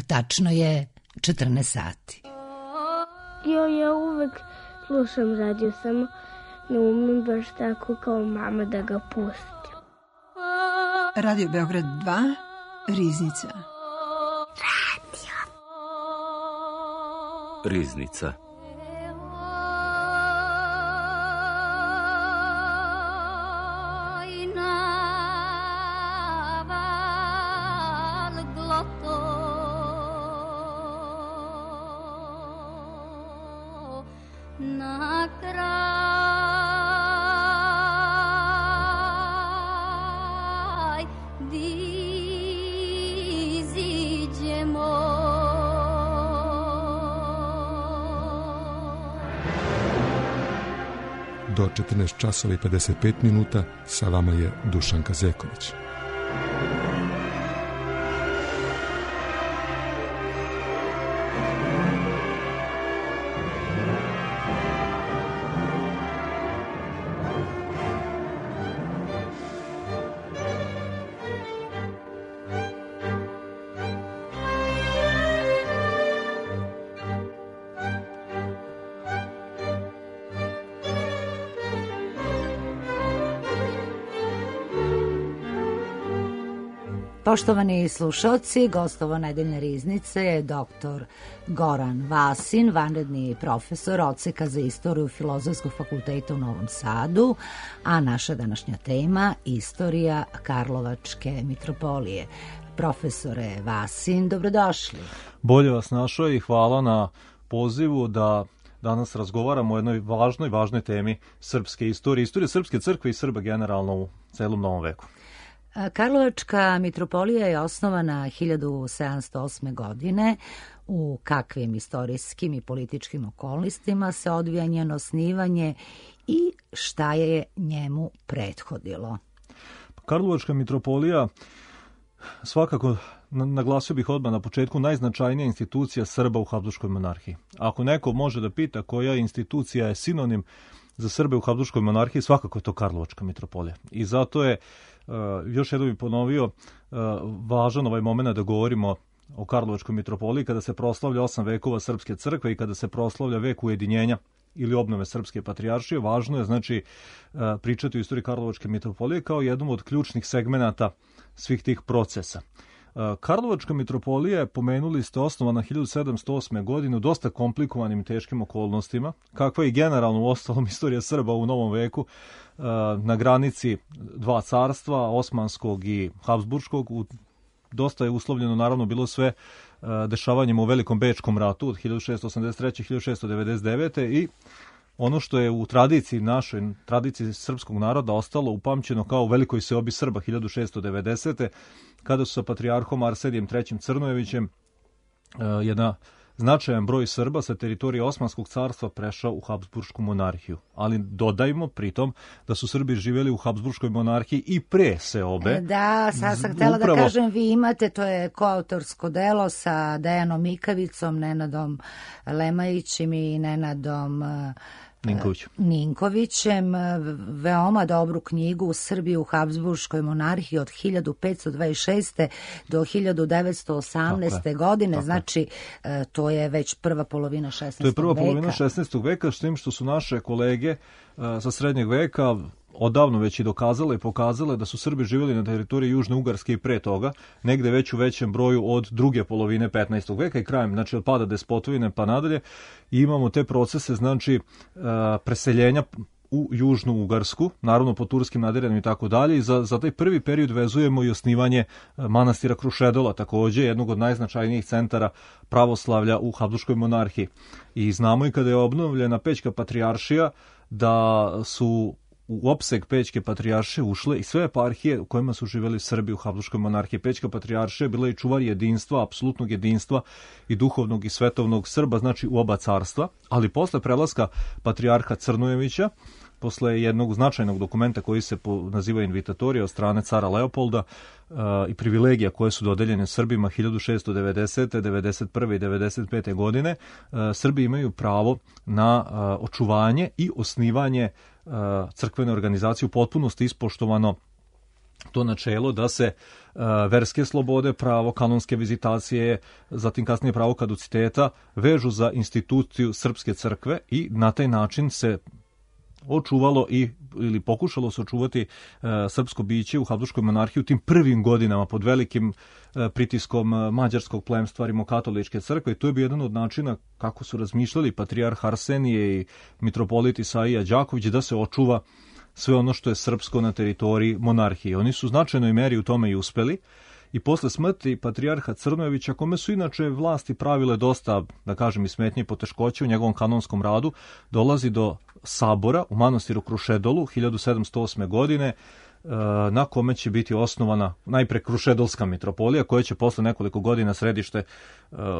Tačno je 14 sati. Ja uvek slušam radio, samo ne umem baš tako kao mama da ga pustim. Radio Beograd 2, Riznica. Riznica. Do 14 časova i 55 minuta sa vama je Dušan Kazeković. Poštovani slušalci, gostovo nedeljne riznice je dr. Goran Vasin, vanredni profesor odseka za istoriju Filozofskog fakulteta u Novom Sadu, a naša današnja tema istorija Karlovačke mitropolije. Profesore Vasin, dobrodošli. Bolje vas našao i hvala na pozivu da danas razgovaramo o jednoj važnoj temi srpske istorije Srpske crkve i Srba generalno u celom novom veku. Karlovačka mitropolija je osnovana 1708. godine. U kakvim istorijskim i političkim okolnostima se odvija njeno osnivanje i šta je njemu prethodilo? Karlovačka mitropolija, svakako naglasio bih odmah na početku, najznačajnija institucija Srba u Habsburškoj monarhiji. Ako neko može da pita koja institucija je sinonim za Srbe u Habsburškoj monarhiji, svakako je to Karlovačka mitropolija. I zato je, još jednom bih ponovio, važan ovaj moment da govorimo o Karlovačkoj mitropoliji kada se proslavlja 8 vekova Srpske crkve i kada se proslavlja vek ujedinjenja ili obnove Srpske patrijaršije. Važno je znači pričati o istoriji Karlovačke mitropolije kao jednom od ključnih segmenata svih tih procesa. Karlovačka mitropolija je, pomenuli ste, osnovana 1708. godine u dosta komplikovanim i teškim okolnostima, kakva je i generalno u ostalom istorija Srba u novom veku, na granici dva carstva, Osmanskog i Habsburškog. Dosta je uslovljeno naravno bilo sve dešavanjima u Velikom Bečkom ratu od 1683. 1699. i ono što je u tradiciji našoj, tradiciji srpskog naroda ostalo upamćeno kao velikoj seobi Srba 1690. kada su sa patrijarhom Arsenijem III. Crnojevićem jedna značajan broj Srba sa teritorije Osmanskog carstva prešao u Habsburšku monarhiju. Ali dodajmo pritom da su Srbi živjeli u Habsburškoj monarhiji i pre seobe. Da, sad sam htjela da kažem, vi imate, to je koautorsko delo sa Dejanom Mikavicom, Nenadom Lemajićem i Nenadom Ninkovićem, veoma dobru knjigu u Srbiji u Habsburškoj monarhiji od 1526. do 1918. godine, znači to je već prva polovina 16. veka. To je prva polovina 16. veka, s tim što su naše kolege sa srednjeg veka odavno već i dokazale i pokazale da su Srbi živjeli na teritoriji Južne Ugarske i pre toga, negde već u većem broju od druge polovine 15. veka i krajem, znači od pada despotovine pa nadalje. I imamo te procese, znači preseljenja u Južnu Ugarsku, naravno po turskim nadiranjima i tako dalje. I za taj prvi period vezujemo i osnivanje manastira Krušedola, takođe jednog od najznačajnijih centara pravoslavlja u Habsburškoj monarhiji. I znamo i kada je obnovljena Pećka patrijaršija da su u opseg Pećke patrijaršije ušle i sve eparhije u kojima su živjeli Srbi u Habsburškoj monarhiji. Pećka patrijaršija bila i čuvar jedinstva, apsolutnog jedinstva i duhovnog i svetovnog Srba, znači u oba carstva, ali posle prelaska patrijarha Crnojevića, posle jednog značajnog dokumenta koji se naziva Invitatorija od strane cara Leopolda i privilegija koje su dodeljene Srbima 1690. 91. i 95. godine, Srbi imaju pravo na očuvanje i osnivanje crkvene organizacije u potpunosti ispoštovano to načelo da se verske slobode, pravo kanonske vizitacije, zatim kasnije pravo kaduciteta vežu za instituciju Srpske crkve i na taj način se očuvalo ili pokušalo se očuvati srpsko biće u Habsburškoj monarhiji u tim prvim godinama pod velikim pritiskom mađarskog plemstva rimokatoličke crkve i to je bio jedan od načina kako su razmišljali patrijarh Arsenije i mitropolit Isaija Đaković da se očuva sve ono što je srpsko na teritoriji monarhije. Oni su u značajnoj meri u tome i uspeli i posle smrti patrijarha Crnojevića, kome su inače vlasti pravile dosta, da kažem, i smetnje i poteškoće u njegovom kanonskom radu, dolazi do sabora u manastiru Krušedolu 1708. godine, na kome će biti osnovana najpre Krušedolska mitropolija, koja će posle nekoliko godina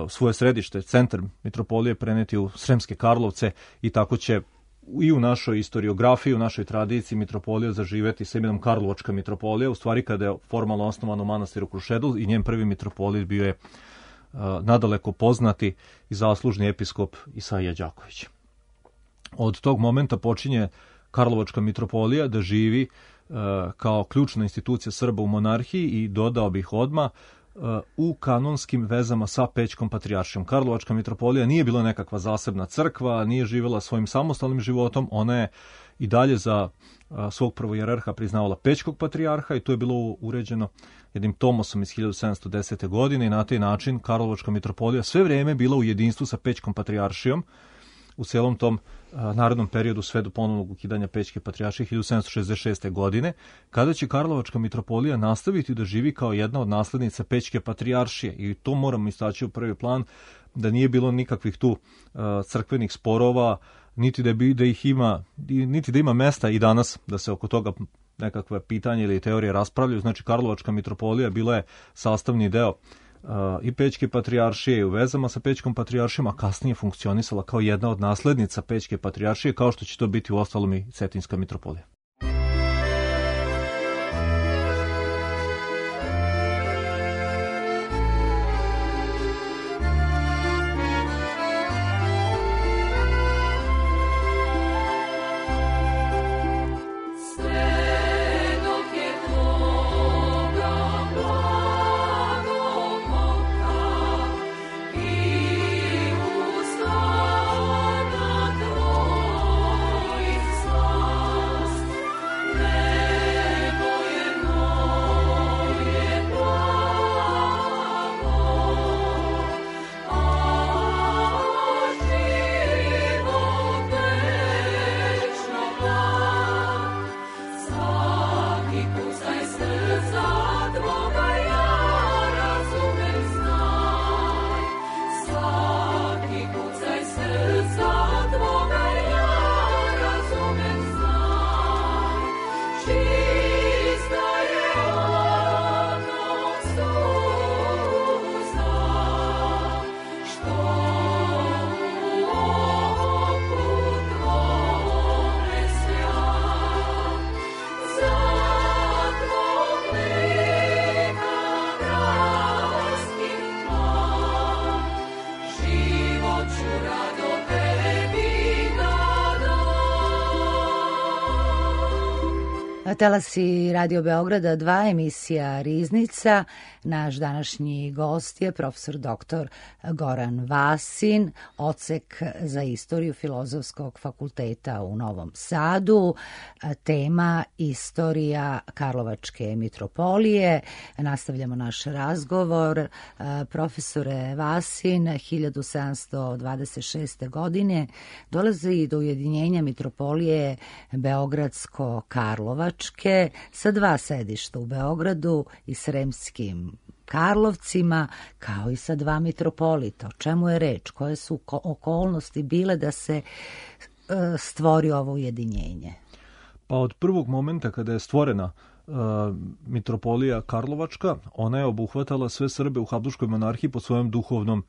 svoje središte, centar mitropolije preneti u Sremske Karlovce i tako će i u našoj historiografiji, u našoj tradiciji mitropolija zaživeti sa imenom Karlovačka mitropolija, u stvari kada je formalno osnovan u manastiru Krušedol i njen prvi mitropolit bio je nadaleko poznati i zaslužni episkop Isaija Đaković. Od tog momenta počinje Karlovačka mitropolija da živi kao ključna institucija Srba u monarhiji i dodao bih odmah u kanonskim vezama sa Pećkom patrijaršijom. Karlovačka mitropolija nije bila nekakva zasebna crkva, nije živjela svojim samostalnim životom, ona je i dalje za svog prvojerarha priznavala Pećkog patrijarha i to je bilo uređeno jednim tomosom iz 1710. godine i na taj način Karlovačka mitropolija sve vrijeme bila u jedinstvu sa Pećkom patrijaršijom u celom tom narodnom periodu sve do ponovnog ukidanja Pećke patrijaršije 1766. godine, kada će Karlovačka mitropolija nastaviti da živi kao jedna od naslednica Pećke patrijaršije i to moramo istaći u prvi plan da nije bilo nikakvih tu crkvenih sporova, niti da ih ima, niti da ima mesta i danas da se oko toga nekakve pitanje ili teorije raspravljaju. Znači Karlovačka mitropolija bila je sastavni deo i Pećke patrijaršije i u vezama sa Pećkom patrijaršijom, a kasnije funkcionisala kao jedna od naslednica Pećke patrijaršije, kao što će to biti u ostalom i Cetinjska mitropolija. Talasi Radio Beograda 2, emisija Riznica. Naš današnji gost je profesor dr. Goran Vasin, odsek za istoriju Filozofskog fakulteta u Novom Sadu. Tema istorija Karlovačke mitropolije. Nastavljamo naš razgovor. Profesore Vasin, 1726. godine dolazi do ujedinjenja mitropolije Beogradsko-Karlovačke sa dva sedišta u Beogradu i Sremskim Karlovcima, kao i sa dva mitropolita. O čemu je reč? Koje su okolnosti bile da se stvori ovo ujedinjenje? Pa od prvog momenta kada je stvorena mitropolija Karlovačka, ona je obuhvatala sve Srbe u Habsburškoj monarhiji pod svojom duhovnom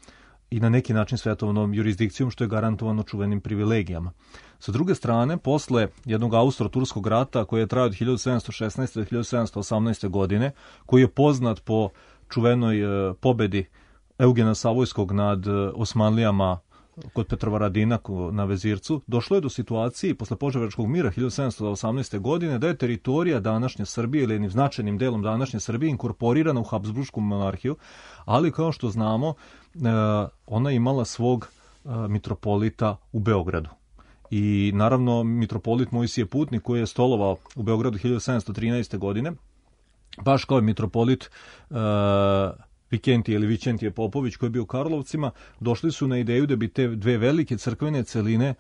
i na neki način svetovnom jurisdikcijom, što je garantovano čuvenim privilegijama. Sa druge strane, posle jednog Austro-Turskog rata koji je trajao od 1716. do 1718. godine, koji je poznat po čuvenoj pobedi Eugena Savojskog nad Osmanlijama kod Petrovaradina na Vezircu, došlo je do situacije posle Požarevačkog mira 1718. godine da je teritorija današnje Srbije ili jednim značajnim delom današnje Srbije inkorporirana u Habsburšku monarhiju, ali kao što znamo ona je imala svog mitropolita u Beogradu. I naravno mitropolit Mojsije Putnik koji je stolovao u Beogradu 1713. godine, baš kao je mitropolit Vikentije ili Vičentije Popović koji je bio u Karlovcima, došli su na ideju da bi te dve velike crkvene celine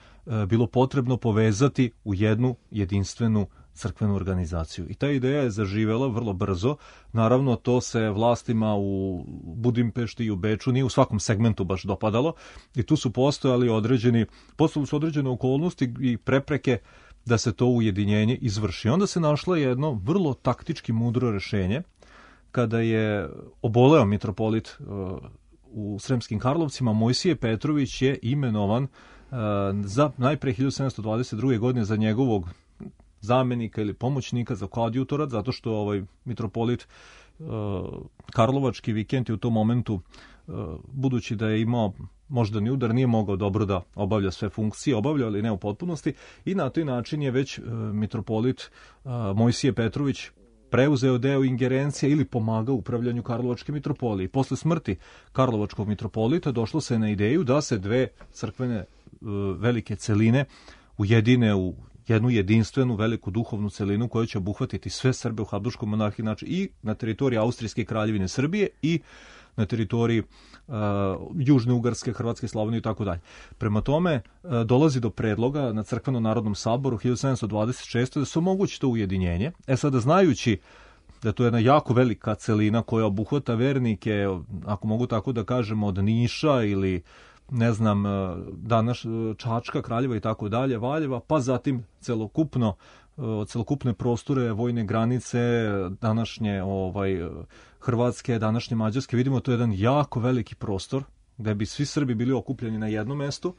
bilo potrebno povezati u jednu jedinstvenu crkvenu organizaciju. I ta ideja je zaživela vrlo brzo. Naravno, to se vlastima u Budimpešti i u Beču nije u svakom segmentu baš dopadalo i tu su postojale određene okolnosti i prepreke da se to ujedinjenje izvrši. Onda se našlo jedno vrlo taktički mudro rešenje kada je oboleo mitropolit u Sremskim Karlovcima. Mojsije Petrović je imenovan za najpre 1722. godine za njegovog zamenika ili pomoćnika, za koadjutora, zato što mitropolit Karlovački Vikentije u tom momentu, budući da je imao moždani udar, nije mogao dobro da obavlja sve funkcije, obavlja ali ne u potpunosti, i na taj način je već mitropolit Mojsije Petrović preuzeo deo ingerencije ili pomagao upravljanju Karlovačke mitropolije. Posle smrti Karlovačkog mitropolita došlo se na ideju da se dve crkvene velike celine ujedine u jednu jedinstvenu veliku duhovnu celinu koja će obuhvatiti sve Srbe u Habsburškoj monarhiji, znači i na teritoriji Austrijske kraljevine Srbije i na teritoriji Južne Ugarske, Hrvatske, Slavonije i tako dalje. Prema tome, dolazi do predloga na Crkvenom narodnom saboru 1726. da se omogući to ujedinjenje. Sada, znajući da to je jedna jako velika celina koja obuhvata vernike, ako mogu tako da kažemo, od Niša ili ne znam, danas Čačka, Kraljeva i tako dalje, Valjeva, pa zatim celokupne prostore, vojne granice, današnje Hrvatske, današnje Mađarske. Vidimo, to je jedan jako veliki prostor gde bi svi Srbi bili okupljeni na jednom mestu.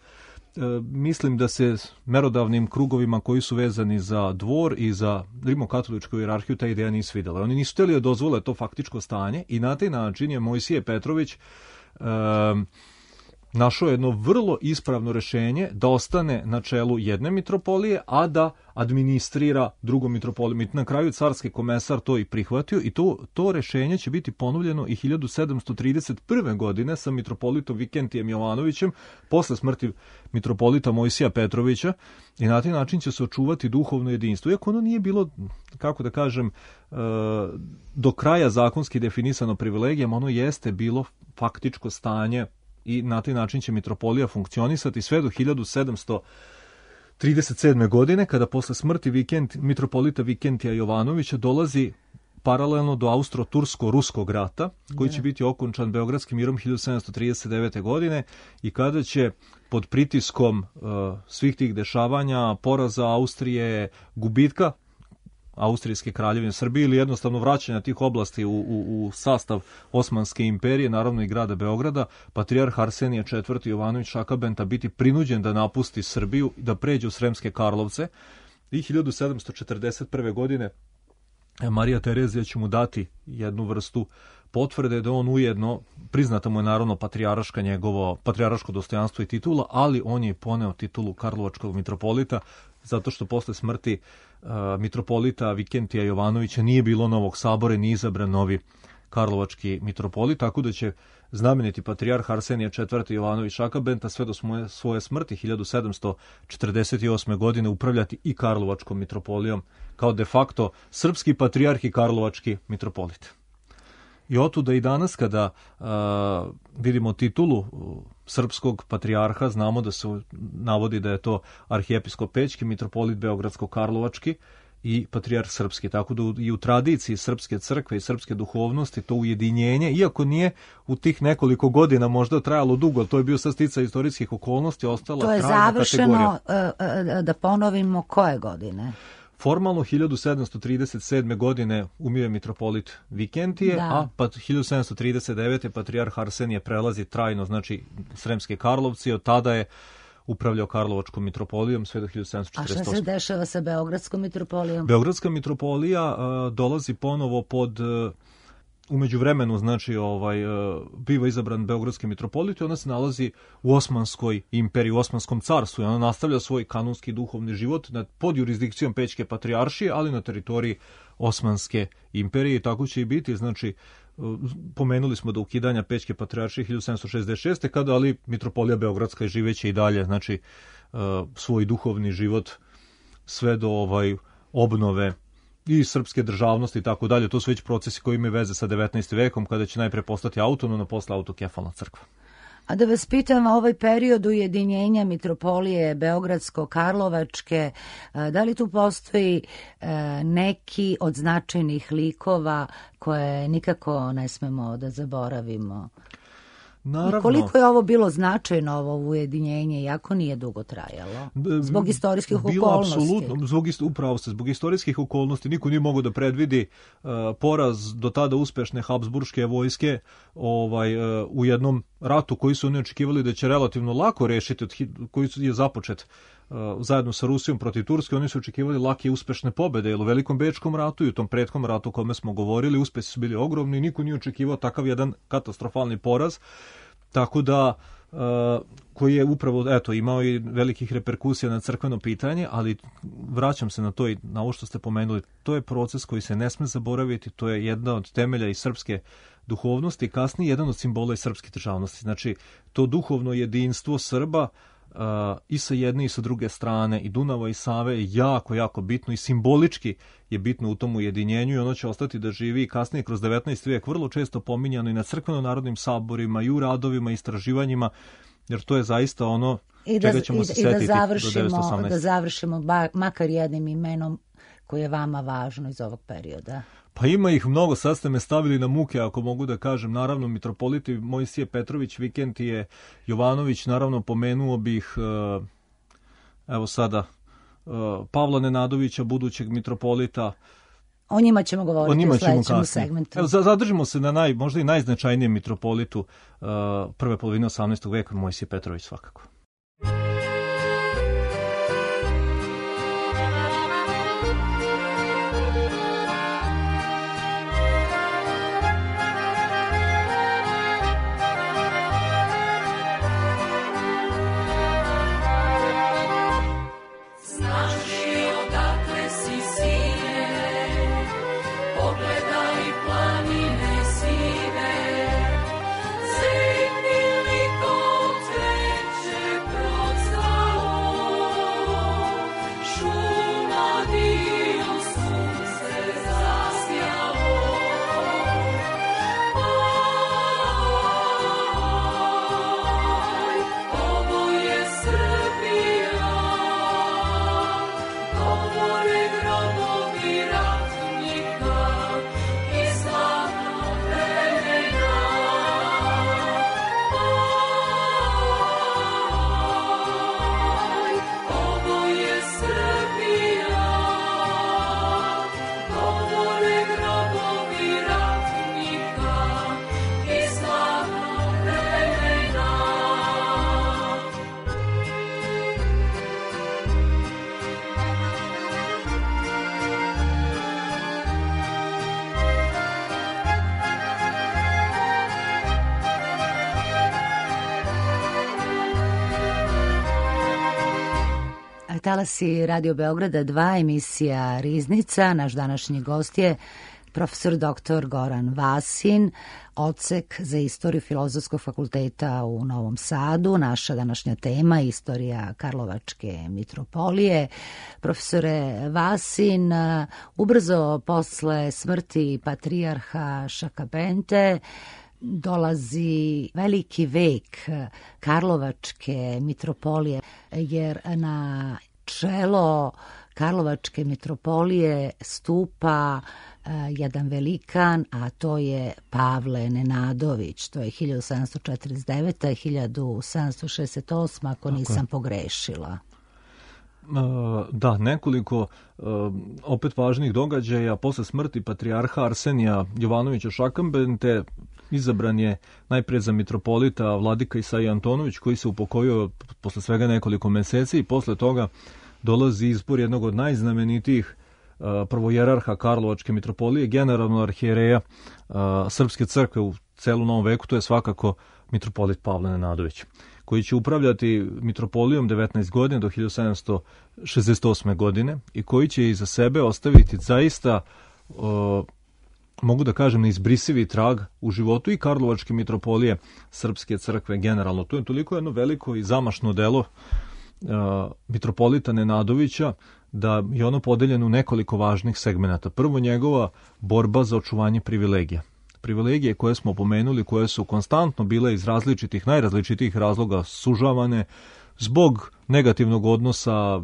Mislim da se merodavnim krugovima koji su vezani za dvor i za rimokatoličku hijerarhiju ta ideja nisu videla. Oni nisu htjeli da dozvole to faktičko stanje i na taj način je Mojsije Petrović našao jedno vrlo ispravno rešenje da ostane na čelu jedne mitropolije, a da administrira drugom mitropolijom. Na kraju carski komesar to i prihvatio i to rešenje će biti ponovljeno i 1731. godine sa mitropolitom Vikentijem Jovanovićem posle smrti mitropolita Mojsija Petrovića i na taj način će se očuvati duhovno jedinstvo. Iako ono nije bilo, kako da kažem, do kraja zakonski definisano privilegijama, ono jeste bilo faktičko stanje i na taj način će mitropolija funkcionisati sve do 1737. godine, kada posle smrti mitropolita Vikentija Jovanovića dolazi paralelno do Austro-Tursko-Ruskog rata, koji će biti okončan Beogradskim mirom 1739. godine i kada će pod pritiskom svih tih dešavanja, poraza Austrije, gubitka Austrijske kraljevine Srbije ili jednostavno vraćanja tih oblasti u sastav Osmanske imperije, naravno i grada Beograda, patrijarh Arsenije IV. Jovanović Šakabenta biti prinuđen da napusti Srbiju i da pređe u Sremske Karlovce i 1741. godine Marija Terezija će mu dati jednu vrstu potvrde da on ujedno, priznata mu je naravno patrijarško dostojanstvo i titula, ali on je poneo titulu Karlovačkog mitropolita zato što posle smrti mitropolita Vikentija Jovanovića nije bilo novog sabora i nije izabran novi Karlovački mitropolit, tako da će znameniti patrijarh Arsenije IV. Jovanović Šakabenta sve do svoje smrti 1748. godine upravljati i Karlovačkom mitropolijom kao de facto srpski patrijarh i Karlovački mitropolit. I otuda i danas kada vidimo titulu srpskog patrijarha, znamo da se navodi da je to arhijepiskop Pećki, mitropolit Beogradsko-Karlovački i patrijarh srpski. Tako da i u tradiciji srpske crkve i srpske duhovnosti to ujedinjenje, iako nije u tih nekoliko godina možda trajalo dugo, to je bio sad sticaj istorijskih okolnosti, ostala trajna kategorija. To je završeno, da ponovimo, koje godine? Formalno 1737. godine umire mitropolit Vikentije, a 1739. patrijarh Arsenije prelazi trajno, znači Sremske Karlovci, od tada je upravljao Karlovačkom mitropolijom sve do 1748. A šta se dešava sa Beogradskom mitropolijom? Beogradska mitropolija dolazi ponovo pod u međuvremenu, znači, biva izabran beogradski mitropolit i ona se nalazi u Osmanskoj imperiji, u Osmanskom carstvu i ona nastavlja svoj kanonski duhovni život pod jurisdikcijom Pećke patrijaršije, ali na teritoriji Osmanske imperije i tako će i biti, znači, pomenuli smo do ukidanja Pećke patrijaršije 1766. kada, ali mitropolija beogradska je živeće i dalje, znači, svoj duhovni život sve do obnove i srpske državnosti i tako dalje. To su već procesi koji imaju veze sa 19. vekom, kada će najpre postati autonomna, posle autokefalna crkva. A da vas pitam, ovaj period ujedinjenja mitropolije Beogradsko-Karlovačke, da li tu postoji neki od značajnih likova koje nikako ne smemo da zaboravimo? Naravno. I koliko je ovo bilo značajno, ovo ujedinjenje, iako nije dugo trajalo? Zbog istorijskih okolnosti. Apsolutno, upravo se, zbog istorijskih okolnosti. Niko nije mogao da predvidi poraz do tada uspešne Habsburške vojske u jednom ratu koji su oni očekivali da će relativno lako rešiti, koji je započet zajedno sa Rusijom protiv Turske. Oni su očekivali lake i uspešne pobede, jer u Velikom bečkom ratu i u tom prethodnom ratu o kome smo govorili, uspesi su bili ogromni i niko nije očekivao takav jedan katastrofalni poraz, tako da koji je upravo imao i velikih reperkusija na crkveno pitanje, ali vraćam se na to i na ovo što ste pomenuli, to je proces koji se ne sme zaboraviti, to je jedna od temelja i srpske duhovnosti, kasnije jedan od simbola i srpske državnosti. Znači, to duhovno jedinstvo Srba i sa jedne i sa druge strane, i Dunava i Save, je jako, jako bitno i simbolički je bitno u tom ujedinjenju i ono će ostati da živi i kasnije kroz 19. vijek, vrlo često pominjano i na crkveno-narodnim saborima i u radovima i istraživanjima, jer to je zaista ono čega ćemo se setiti do 1918. Da završimo makar jednim imenom koje je vama važno iz ovog perioda. Pa ima ih mnogo, sad ste me stavili na muke, ako mogu da kažem. Naravno, mitropoliti Mojsije Petrović, Vikentije Jovanović, naravno pomenuo bih, evo sada, Pavla Nenadovića, budućeg mitropolita. O njima ćemo govoriti u sledećem segmentu. Evo, zadržimo se na možda i najznačajnijem mitropolitu prve polovine 18. veka, Mojsije Petrović svakako. Talasi Radio Beograda 2, emisija Riznica. Naš današnji gost je profesor dr. Goran Vasin, odsek za istoriju Filozofskog fakulteta u Novom Sadu. Naša današnja tema je istorija Karlovačke mitropolije. Profesore Vasin, ubrzo posle smrti patrijarha Šakabente dolazi veliki vek Karlovačke mitropolije, jer na čelo Karlovačke mitropolije stupa jedan velikan, a to je Pavle Nenadović. To je 1749. 1768. ako nisam pogrešila. Da, nekoliko opet važnih događaja. Posle smrti patrijarha Arsenija Jovanovića Šakabente izabran je najpre za mitropolita vladika Isaija Antonović, koji se upokojio posle svega nekoliko meseci, i posle toga dolazi izbor jednog od najznamenitijih prvojerarha Karlovačke mitropolije, generalno arhijereja Srpske crkve u celom Novom veku, to je svakako mitropolit Pavle Nenadović, koji će upravljati mitropolijom 19 godina do 1768. godine i koji će iza sebe ostaviti zaista, mogu da kažem, neizbrisivi trag u životu i Karlovačke mitropolije Srpske crkve generalno. To je toliko jedno veliko i zamašno delo mitropolita Nenadovića da je ono podeljeno u nekoliko važnih segmenata. Prvo, njegova borba za očuvanje privilegija. Privilegije koje smo pomenuli, koje su konstantno bile iz najrazličitijih razloga sužavane zbog negativnog odnosa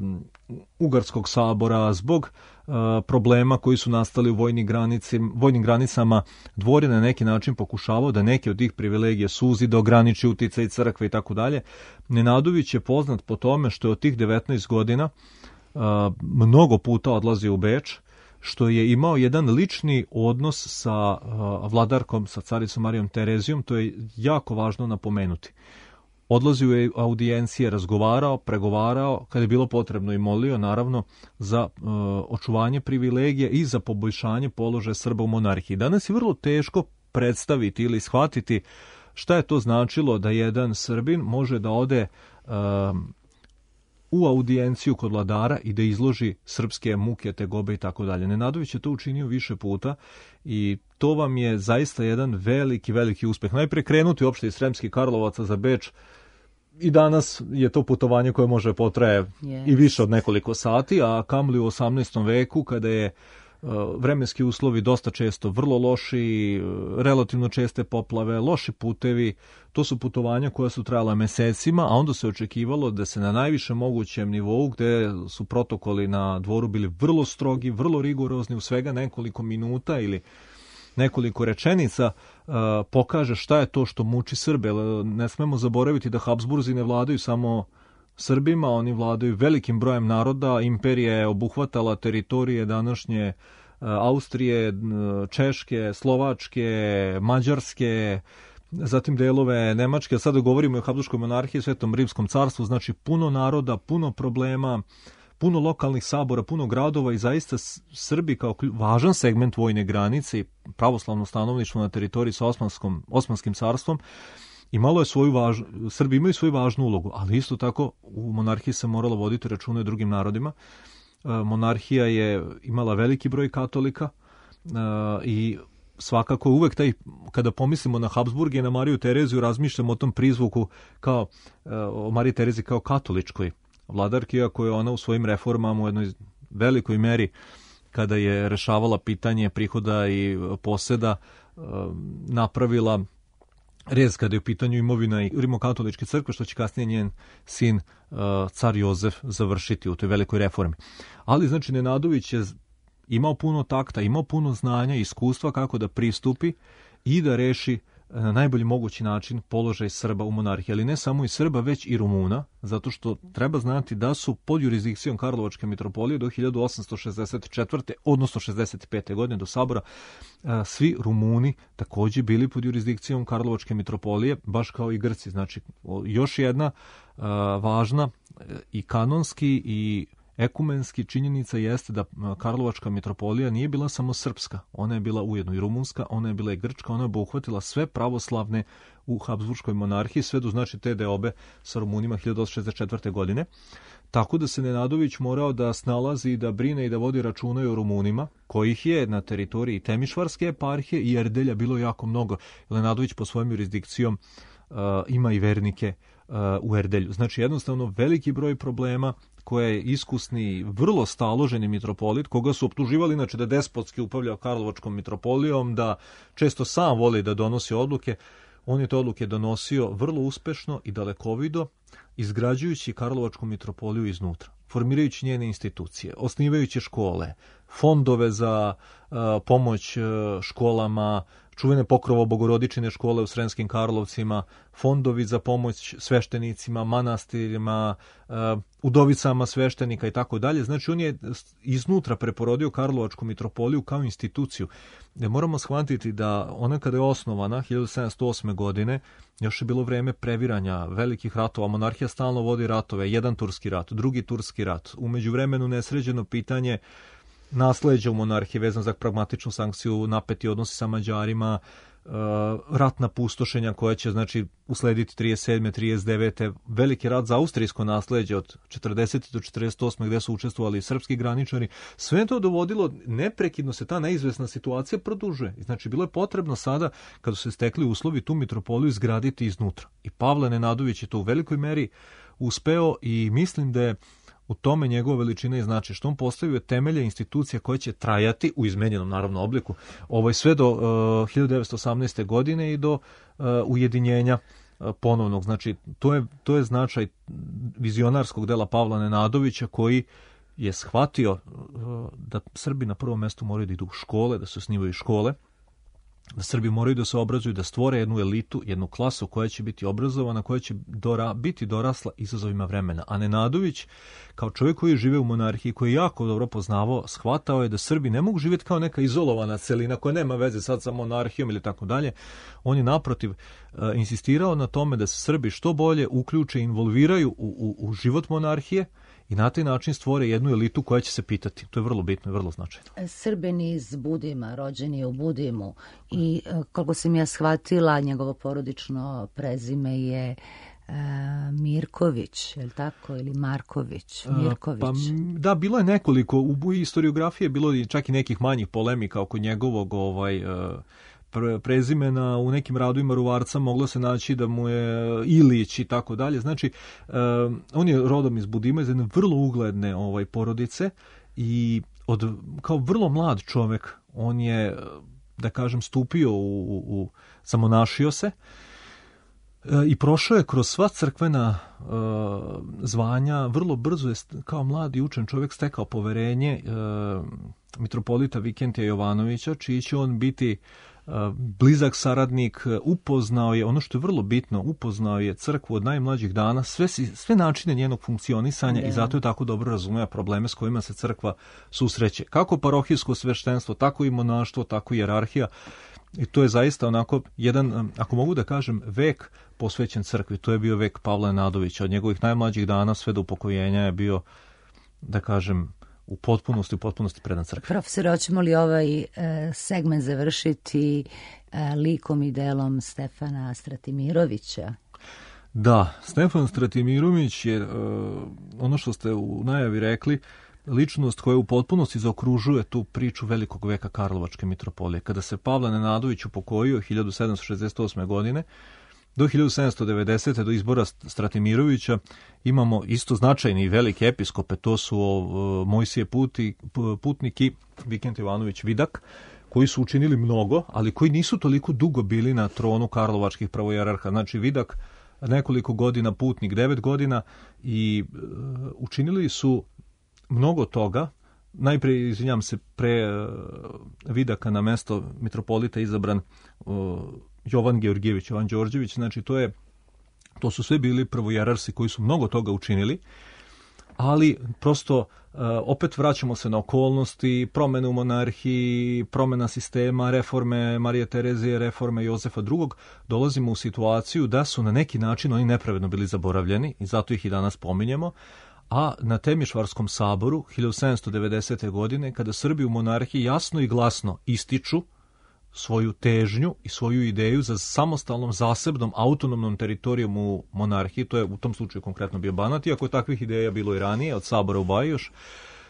Ugarskog sabora, zbog problema koji su nastali u vojnim granicama. Dvor je na neki način pokušavao da neke od tih privilegija suzi, da ograniči uticaj crkve i tako dalje. Nenadović je poznat po tome što je od tih 19 godina mnogo puta odlazio u Beč, što je imao jedan lični odnos sa vladarkom, sa caricom Marijom Terezijom, to je jako važno napomenuti. Odlazio je audijencije, razgovarao, pregovarao, kada je bilo potrebno i molio, naravno, za očuvanje privilegija i za poboljšanje položaja Srba u monarhiji. Danas je vrlo teško predstaviti ili shvatiti šta je to značilo da jedan Srbin može da ode u audijenciju kod vladara i da izloži srpske muke, tegobe i tako dalje. Nenadović je to učinio više puta i to vam je zaista jedan veliki uspeh. Najpre krenuti uopšte iz Sremskih Karlovaca za Beč i danas je to putovanje koje može potraje i više od nekoliko sati, a kamoli u 18. veku kada je vremenski uslovi dosta često vrlo loši, relativno česte poplave, loši putevi, to su putovanja koja su trajala mesecima, a onda se očekivalo da se na najvišem mogućem nivou, gde su protokoli na dvoru bili vrlo strogi, vrlo rigorozni, u svega nekoliko minuta ili nekoliko rečenica pokaže šta je to što muči Srbe. Ne smemo zaboraviti da Habsburzi ne vladaju samo Srbima, oni vladaju velikim brojem naroda. Imperija je obuhvatala teritorije današnje Austrije, Češke, Slovačke, Mađarske, zatim delove Nemačke. Sada govorimo o Habsburškoj monarhiji, Svetom Rimskom carstvu, znači puno naroda, puno problema, puno lokalnih sabora, puno gradova i zaista Srbi kao važan segment vojne granice i pravoslavno stanovništvo na teritoriji sa Osmanskim carstvom Srbi imaju svoju važnu ulogu, ali isto tako u monarhiji se moralo voditi računa i drugim narodima. Monarhija je imala veliki broj katolika i svakako uvek kada pomislimo na Habsburg i na Mariju Tereziju, razmišljamo o tom prizvuku o Mariji Tereziji kao katoličkoj vladarki, iako je ona u svojim reformama u jednoj velikoj meri, kada je rešavala pitanje prihoda i poseda, napravila rez kada je u pitanju imovina i rimokatoličke crkve, što će kasnije njen sin car Jozef završiti u toj velikoj reformi. Ali znači Nenadović je imao puno takta, imao puno znanja i iskustva kako da pristupi i da reši na najbolji mogući način položaj Srba u monarhiji, ali ne samo i Srba, već i Rumuna, zato što treba znati da su pod jurisdikcijom Karlovačke mitropolije do 1864. odnosno 65. godine do sabora svi Rumuni također bili pod jurisdikcijom Karlovačke mitropolije, baš kao i Grci. Znači, još jedna važna i kanonski i ekumenski činjenica jeste da Karlovačka mitropolija nije bila samo srpska, ona je bila ujedno i rumunska, ona je bila i grčka, ona je obuhvatila sve pravoslavne u Habsburškoj monarhiji, sve do znači te deobe sa Rumunima 1864. godine. Tako da se Nenadović morao da snalazi, da brine i da vodi računa i o Rumunima, kojih je na teritoriji Temišvarske eparhije i Erdelja bilo jako mnogo. Nenadović po svojom jurisdikcijom ima i vernike u Erdelju. Znači jednostavno veliki broj problema koje je iskusni, vrlo staloženi mitropolit, koga su optuživali inače da despotski upravljao Karlovačkom mitropolijom, da često sam voli da donosi odluke. On je te odluke donosio vrlo uspešno i dalekovido, izgrađujući Karlovačku mitropoliju iznutra, formirajući njene institucije, osnivajući škole, fondove za pomoć školama, čuvene Pokrovo Bogorodičine škole u Sremskim Karlovcima, fondovi za pomoć sveštenicima, manastirima, udovicama sveštenika i tako dalje. Znači on je iznutra preporodio Karlovačku mitropoliju kao instituciju. Moramo shvatiti da ona kada je osnovana 1708. godine, još je bilo vreme previranja velikih ratova. Monarhija stalno vodi ratove, jedan turski rat, drugi turski rat. U međuvremenu nesređeno pitanje nasleđa u monarhiji vezan za pragmatičnu sankciju, napeti odnosi sa Mađarima, ratna pustošenja koja će znači uslediti 37. 39. veliki rat za austrijsko nasleđe od 40. do 48. gde su učestvovali i srpski graničari. Sve to dovodilo, neprekidno se ta neizvesna situacija produžuje. Znači bilo je potrebno sada, kada su se stekli uslovi, tu mitropoliju izgraditi iznutra. I Pavle Nenadović je to u velikoj meri uspeo i mislim da je u tome njegova veličina i znači što on postavio temelje institucija koje će trajati u izmenjenom naravno obliku sve do 1918. godine i do ujedinjenja ponovnog. Znači to je značaj vizionarskog dela Pavla Nenadovića koji je shvatio da Srbi na prvom mestu moraju da idu u škole, da se osnivaju škole, da Srbi moraju da se obrazuju, da stvore jednu elitu, jednu klasu koja će biti obrazovana, koja će biti dorasla izazovima vremena. A Nenadović, kao čovjek koji žive u monarhiji, koji je jako dobro poznavao, shvatao je da Srbi ne mogu živjeti kao neka izolovana celina koja nema veze sad sa monarhijom ili tako dalje. On je naprotiv insistirao na tome da se Srbi što bolje uključe i involviraju u život monarhije i na taj način stvore jednu elitu koja će se pitati. To je vrlo bitno i vrlo značajno. Srbin iz Budima, rođen je u Budimu i koliko sam ja shvatila, njegovo porodično prezime je Mirković, je li tako? Ili Marković? Mirković. Da, bilo je nekoliko. U historiografiji je bilo čak i nekih manjih polemika oko njegovog prezimena. U nekim radovima Ruvarca moglo se naći da mu je Ilić i tako dalje. Znači, on je rodom iz Budima, iz jedne vrlo ugledne porodice i kao vrlo mlad čovek on je, da kažem, stupio zamonašio se i prošao je kroz sva crkvena zvanja. Vrlo brzo je kao mlad i učen čovjek stekao poverenje mitropolita Vikentija Jovanovića, čiji će on biti blizak saradnik. Upoznao je, ono što je vrlo bitno, upoznao je crkvu od najmlađih dana, sve načine njenog funkcionisanja i zato je tako dobro razumeo probleme s kojima se crkva susreće. Kako parohijsko sveštenstvo, tako i monaštvo, tako i hijerarhija. I to je zaista onako jedan, ako mogu da kažem, vek posvećen crkvi. To je bio vek Pavla Nenadovića. Od njegovih najmlađih dana sve do upokojenja je bio, da kažem, u potpunosti predan crkvi. Profesor, hoćemo li ovaj segment završiti likom i delom Stefana Stratimirovića? Da, Stefan Stratimirović je, ono što ste u najavi rekli, ličnost koja u potpunosti zaokružuje tu priču velikog veka Karlovačke mitropolije. Kada se Pavle Nenadović upokojio 1768. godine, do 1790. do izbora Stratimirovića imamo isto značajni i velike episkope, to su Mojsije Putnik i Vikent Ivanović Vidak, koji su učinili mnogo, ali koji nisu toliko dugo bili na tronu karlovačkih pravojerarha. Znači Vidak nekoliko godina, Putnik 9 godina i učinili su mnogo toga. Najprije, izvinjam se, pre Vidaka na mesto mitropolita izabran Jovan Georgijević, Jovan Đorđević, znači to su sve bili prvojerarsi koji su mnogo toga učinili, ali prosto opet vraćamo se na okolnosti, promene u monarhiji, promena sistema, reforme Marije Terezije, reforme Jozefa II. Dolazimo u situaciju da su na neki način oni nepravedno bili zaboravljeni i zato ih i danas pominjemo. A na Temišvarskom saboru 1790. godine, kada Srbi u monarhiji jasno i glasno ističu svoju težnju i svoju ideju za samostalnom, zasebnom, autonomnom teritorijom u monarhiji, to je u tom slučaju konkretno bio Banat, iako je takvih ideja bilo i ranije, od sabora u Baji još,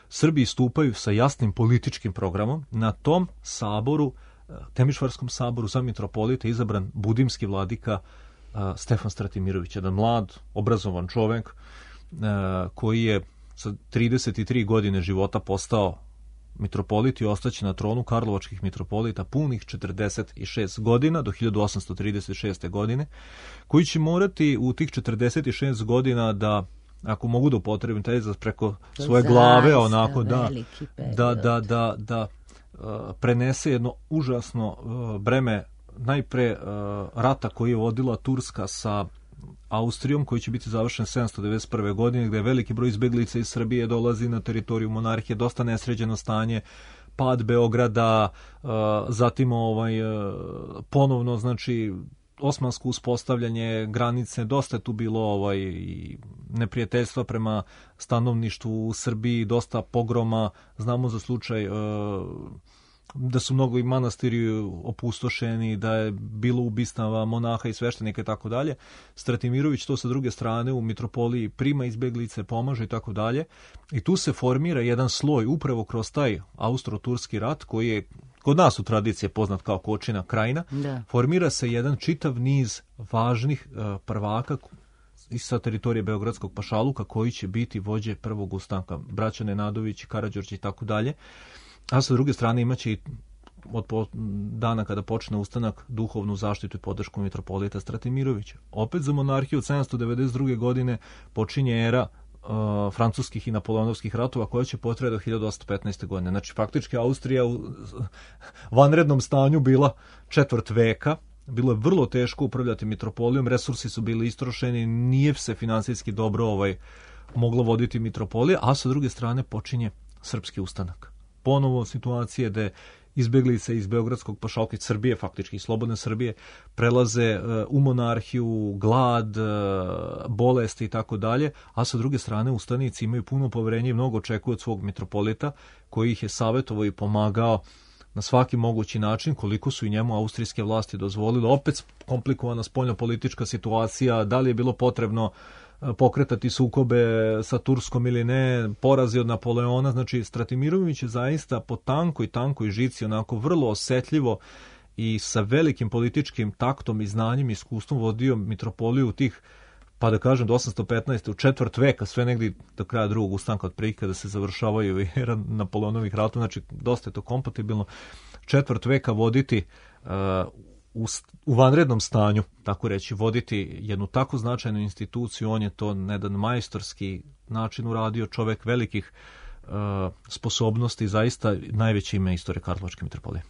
Srbi istupaju sa jasnim političkim programom. Na tom saboru, Temišvarskom saboru, za mitropolita izabran budimski vladika Stefan Stratimirović, jedan mlad, obrazovan čovek, koji je sa 33 godine života postao mitropolit i ostaće na tronu karlovačkih mitropolita punih 46 godina do 1836. godine, koji će morati u tih 46 godina da, ako mogu da upotrebim taj izraz, preko svoje glave onako da prenese jedno užasno breme, najpre rata koji je vodila Turska sa Austrijom, koji će biti završen 791. godine, gde je veliki broj izbeglica iz Srbije dolazi na teritoriju monarhije, dosta nesređeno stanje, pad Beograda, zatim ponovno, znači, osmansko uspostavljanje granice, dosta je tu bilo neprijateljstva prema stanovništvu u Srbiji, dosta pogroma, znamo za slučaj da su mnogo i manastiri opustošeni, da je bilo ubistava monaha i sveštenika i tako dalje. Stratimirović to sa druge strane u mitropoliji prima izbeglice, pomaže i tako dalje. I tu se formira jedan sloj upravo kroz taj Austro-Turski rat koji je kod nas u tradiciji poznat kao Kočina krajina. Da. Formira se jedan čitav niz važnih prvaka sa teritorije Beogradskog pašaluka koji će biti vođe prvog ustanka. Braća Nenadović, Karađorđe i tako dalje. A sa druge strane imaće i od dana kada počne ustanak duhovnu zaštitu i podršku mitropolita Stratimirovića. Opet za monarhiju od 792. godine počinje era francuskih i napoleonovskih ratova koja će potrajati do 1815. godine. Znači faktički Austrija u vanrednom stanju bila četvrt veka. Bilo je vrlo teško upravljati mitropolijom, resursi su bili istrošeni, nije se finansijski dobro moglo voditi mitropolija, a sa druge strane počinje srpski ustanak. Ponovo situacije da izbeglice iz Beogradskog pašalka, iz Srbije, faktički iz slobodne Srbije, prelaze u monarhiju, glad, bolesti i tako dalje, a sa druge strane ustanici imaju puno poverenje i mnogo očekuju od svog mitropolita koji ih je savjetovao i pomagao na svaki mogući način, koliko su i njemu austrijske vlasti dozvolile. Opet komplikovana spoljnopolitička situacija, da li je bilo potrebno pokretati sukobe sa Turskom ili ne, porazi od Napoleona. Znači Stratimirović je zaista po tankoj žici, onako vrlo osetljivo i sa velikim političkim taktom i znanjem i iskustvom vodio mitropoliju u tih, pa da kažem, do 815. u četvrt veka, sve negdje do kraja drugog ustanka otprilike kada se završavaju era Napoleonovih ratova. Znači dosta je to kompatibilno. Četvrt veka voditi u vanrednom stanju, tako reći, voditi jednu tako značajnu instituciju, on je to na jedan majstorski način uradio, čovjek velikih sposobnosti, zaista najveće ime istorije Karlovačke mitropolije.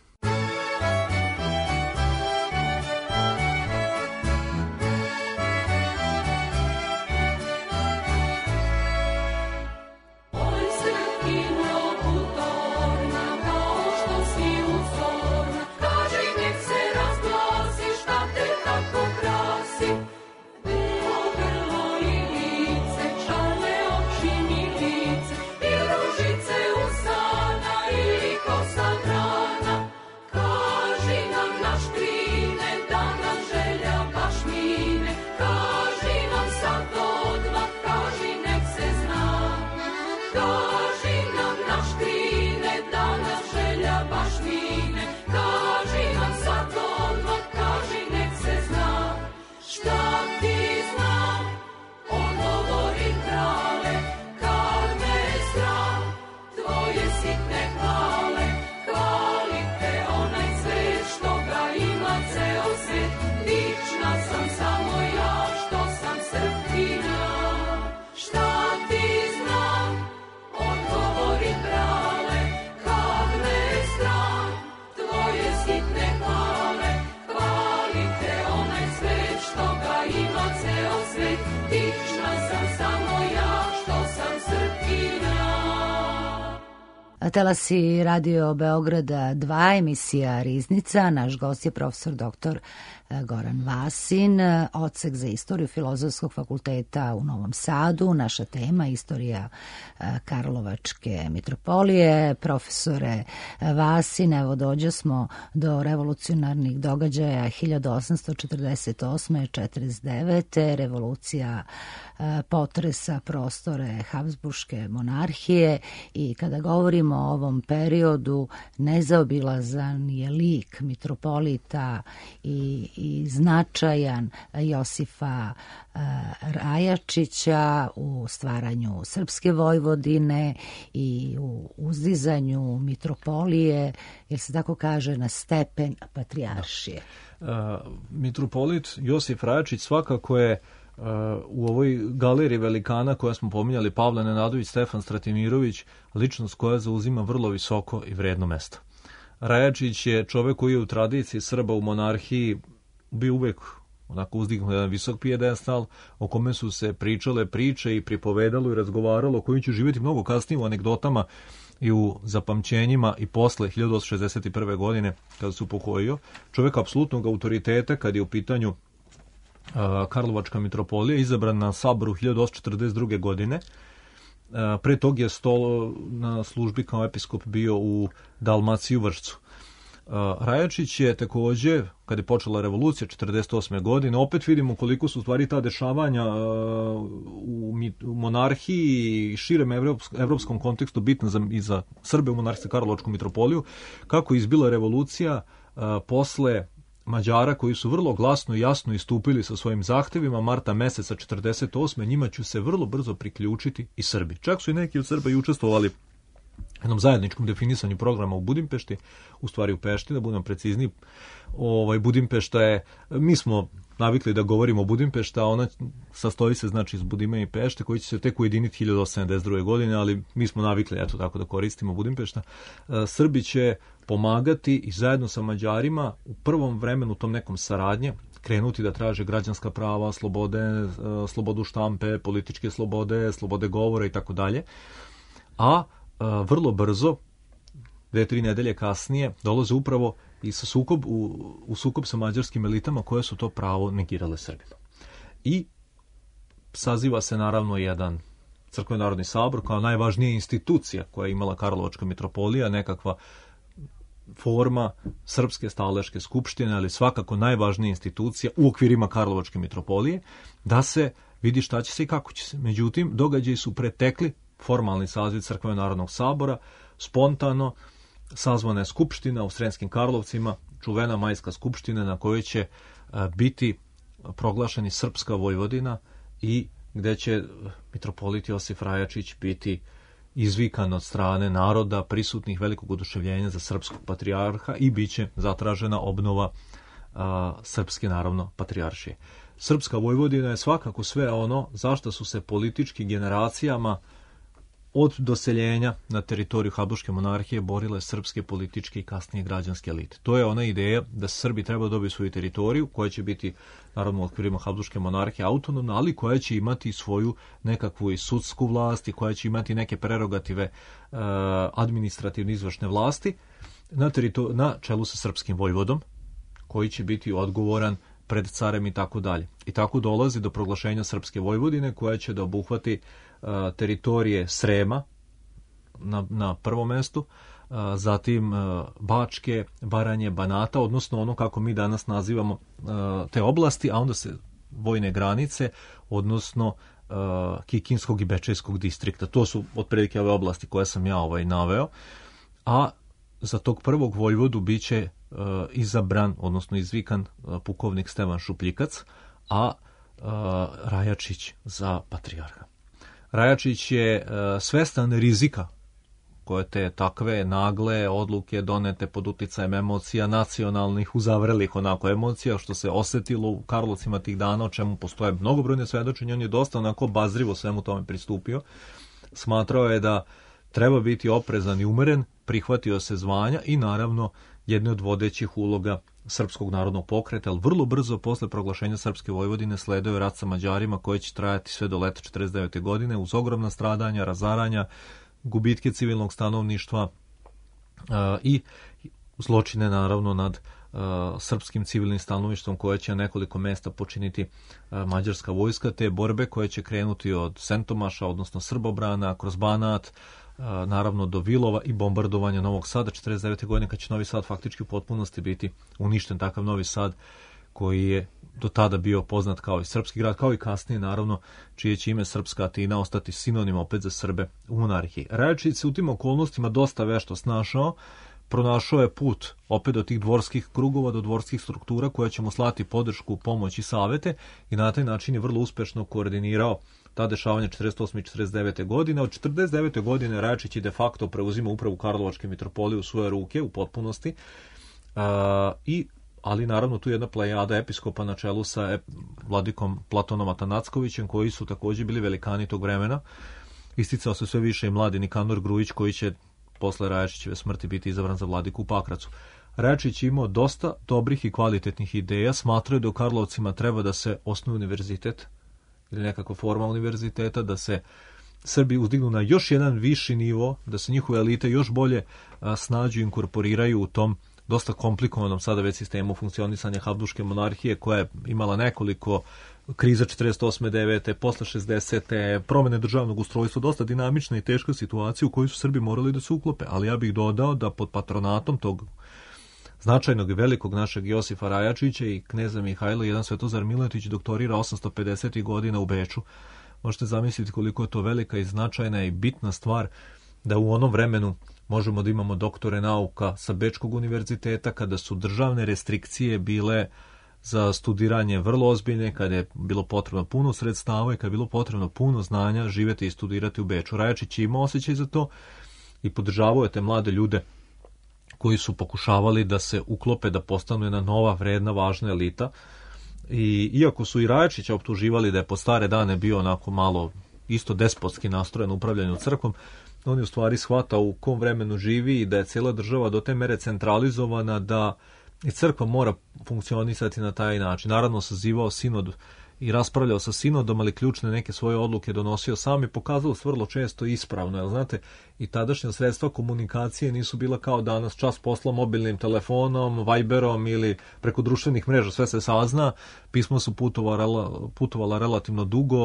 Telasi Radio Beograda 2, emisija Riznica. Naš gost je profesor dr. Goran Vasin, odsek za istoriju Filozofskog fakulteta u Novom Sadu. Naša tema istorija Karlovačke mitropolije. Profesore Vasin, evo dođe smo do revolucionarnih događaja 1848. 49. Revolucija potresa prostore Habsburške monarhije i kada govorimo o ovom periodu nezaobilazan je lik mitropolita i značajan Josifa Rajačića u stvaranju Srpske Vojvodine i u uzdizanju mitropolije, jer se tako kaže, na stepen patrijaršije. Mitropolit Josif Rajačić svakako je u ovoj galeriji velikana koja smo pominjali, Pavle Nenadović, Stefan Stratimirović, ličnost koja zauzima vrlo visoko i vredno mesto. Rajačić je čovjek koji je u tradiciji Srba u monarhiji bio uvijek onako uzdignut jedan visok pijedestal o kome su se pričale priče i pripovedalo i razgovaralo, o kojim ću živjeti mnogo kasnije u anegdotama i u zapamćenjima i posle 1861. godine kada se upokojio, čovjek apsolutnog autoriteta kad je u pitanju Karlovačka mitropolija, izabran na saboru 1842. godine. Pre tog je na službi kao episkop bio u Dalmaciji u Vršcu. Rajačić je također, kad je počela revolucija 1948. godine, opet vidimo koliko su stvari ta dešavanja u monarhiji i širem evropskom kontekstu bitna i za Srbe u monarhijsku Karlovačku mitropoliju, kako je izbila revolucija posle Mađara koji su vrlo glasno i jasno istupili sa svojim zahtevima marta meseca 1948. Njima će se vrlo brzo priključiti i Srbi. Čak su i neki od Srba i učestvovali u jednom zajedničkom definisanju programa u Budimpešti, u stvari u Pešti, da budem precizniji. Budimpešta je, mi smo navikli da govorimo o Budimpešta, a ona sastoji se znači iz Budime i Pešte, koji će se tek ujediniti 1872. godine, ali mi smo navikli, eto tako da koristimo Budimpešta. Srbi će pomagati i zajedno sa Mađarima u prvom vremenu tom nekom saradnje krenuti da traže građanska prava, slobode, slobodu štampe, političke slobode, slobode govora i tako dalje. A vrlo brzo, 2-3 nedelje kasnije, dolaze upravo i u sukob sa mađarskim elitama koje su to pravo negirale Srbima. I saziva se naravno jedan crkveni narodni sabor kao najvažnija institucija koja je imala Karlovačka mitropolija, nekakva forma Srpske staleške skupštine, ali svakako najvažnija institucija u okvirima Karlovačke mitropolije, da se vidi šta će se i kako će se. Međutim, događaji su pretekli formalni saziv Crkvenog narodnog sabora, spontano sazvana je skupština u Sremskim Karlovcima, čuvena majska skupština na kojoj će biti proglašeni Srpska Vojvodina i gde će mitropolit Josif Rajačić biti izvikan od strane naroda prisutnih velikog oduševljenja za srpskog patrijarha i bit će zatražena obnova srpske naravno patrijaršije. Srpska Vojvodina je svakako sve ono zašto su se politički generacijama od doseljenja na teritoriju Habsburške monarhije borile srpske političke i kasnije građanske elite. To je ona ideja da Srbi treba dobiti svoju teritoriju koja će biti naravno u okvirima Habsburške monarhije autonomna, ali koja će imati svoju nekakvu i sudsku vlast i koja će imati neke prerogative administrativne izvršne vlasti na čelu sa srpskim vojvodom koji će biti odgovoran pred carem i tako dalje. I tako dolazi do proglašenja Srpske Vojvodine koja će da obuhvati teritorije Srema na prvom mestu, zatim Bačke, Baranje, Banata, odnosno ono kako mi danas nazivamo te oblasti, a onda se vojne granice, odnosno Kikinskog i Bečejskog distrikta. To su otprilike ove oblasti koje sam ja naveo, a za tog prvog vojvodu bit će izabran, odnosno izvikan pukovnik Stevan Šupljikac, a Rajačić za patrijarha. Rajačić je svestan rizika koje te takve nagle odluke donete pod uticajem emocija nacionalnih, uzavrelih onako emocija, što se osjetilo u Karlovcima tih dana, o čemu postoje mnogobrojne svedočenja. On je dosta onako bazrivo svemu tome pristupio. Smatrao je da treba biti oprezan i umeren, prihvatio se zvanja i naravno jedne od vodećih uloga Srpskog narodnog pokreta, ali vrlo brzo posle proglašenja Srpske Vojvodine sledao je rat sa Mađarima koji će trajati sve do leta 1949. godine uz ogromna stradanja, razaranja, gubitke civilnog stanovništva i zločine naravno nad srpskim civilnim stanovništvom koje će na nekoliko mesta počiniti mađarska vojska, te borbe koje će krenuti od Sentomaša, odnosno Srbobrana, kroz Banat, naravno do Vilova i bombardovanja Novog Sada 1949. godine kad će Novi Sad faktički u potpunosti biti uništen, takav Novi Sad koji je do tada bio poznat kao i srpski grad, kao i kasnije naravno čije će ime Srpska Atina ostati sinonim opet za Srbe u monarhiji. Rajačić se u tim okolnostima dosta vešto snašao, pronašao je put opet do tih dvorskih krugova, do dvorskih struktura koja će mu slati podršku, pomoć i savete i na taj način je vrlo uspešno koordinirao ta dešavanja 48. i 49. godine. Od 49. godine Rajačić je de facto preuzima upravu Karlovačke mitropolije u svoje ruke u potpunosti, ali naravno tu je jedna plejada episkopa na čelu sa vladikom Platonom Atanackovićem koji su također bili velikani tog vremena. Isticao se sve više i mladi Nikanor Grujić koji će posle Rajačićeve smrti biti izabran za vladiku u Pakracu. Rajačić je imao dosta dobrih i kvalitetnih ideja, smatrao da u Karlovcima treba da se osnuje univerzitet ili nekakva forma univerziteta, da se Srbi uzdignu na još jedan viši nivo, da se njihove elite još bolje snađu i inkorporiraju u tom dosta komplikovanom sada već sistemu funkcionisanja Habsburške monarhije, koja je imala nekoliko kriza 48. 9. posle 60. promene državnog ustrojstva, dosta dinamična i teška situacija u kojoj su Srbi morali da se uklope. Ali ja bih dodao da pod patronatom tog značajnog i velikog našeg Josifa Rajačića i kneza Mihajla, jedan Svetozar Miletić doktorira 850. godina u Beču. Možete zamisliti koliko je to velika i značajna i bitna stvar da u onom vremenu možemo da imamo doktore nauka sa Bečkog univerziteta, kada su državne restrikcije bile za studiranje vrlo ozbiljne, kada je bilo potrebno puno sredstava i kada je bilo potrebno puno znanja živjeti i studirati u Beču. Rajačić je imao osjećaj za to i podržavao je te mlade ljude koji su pokušavali da se uklope, da postanu jedna nova, vredna, važna elita. I iako su i Rajačića optuživali da je po stare dane bio onako malo isto despotski nastrojen u upravljanju crkvom, on je u stvari shvatao u kom vremenu živi i da je cijela država do te mere centralizovana da i crkva mora funkcionisati na taj način. Naravno, sazivao sinod i raspravljao sa sinodom, ali ključne neke svoje odluke donosio sam i pokazalo se vrlo često ispravno. Jer, znate, i tadašnja sredstva komunikacije nisu bila kao danas, čas posla mobilnim telefonom, Viberom ili preko društvenih mreža, sve se sazna. Pismo su putovala relativno dugo,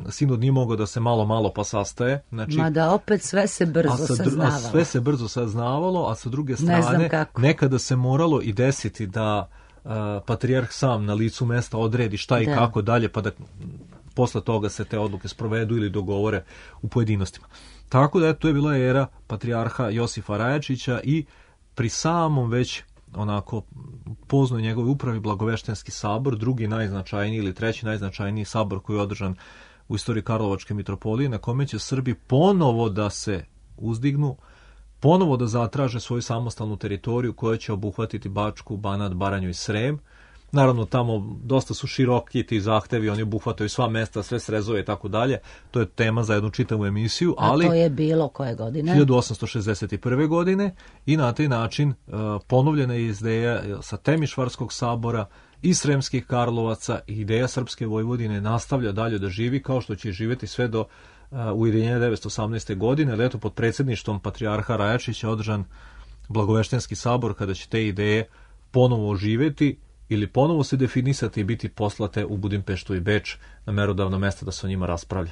sinod nije mogao da se malo pa sastaje. Znači, mada opet sve se brzo saznavalo. Sve se brzo saznavalo, a sa druge strane nekada se moralo i desiti da patrijarh sam na licu mesta odredi šta i kako dalje, pa da posle toga se te odluke sprovedu ili dogovore u pojedinostima. Tako da to je bila era patrijarha Josifa Rajačića i pri samom već onako poznoj njegovoj upravi Blagoveštenski sabor, drugi najznačajniji ili treći najznačajniji sabor koji je održan u istoriji Karlovačke mitropolije, na kome će Srbi ponovo da se uzdignu, ponovo da zatraže svoju samostalnu teritoriju koja će obuhvatiti Bačku, Banat, Baranju i Srem. Naravno, tamo dosta su široki ti zahtevi, oni obuhvataju sva mesta, sve srezove i tako dalje. To je tema za jednu čitavu emisiju. Ali a to je bilo koje godine? 1861. godine i na taj način ponovljena je ideja sa Temišvarskog sabora i Sremskih Karlovaca i ideja Srpske Vojvodine nastavlja dalje da živi, kao što će živjeti sve do ujedinjenja 1918. godine, ali eto pod predsjedništvom patrijarha Rajačića održan Blagoveštenski sabor, kada će te ideje ponovo oživjeti ili ponovo se definisati i biti poslate u Budimpeštu i Beč na merodavno mesto da se o njima raspravlja.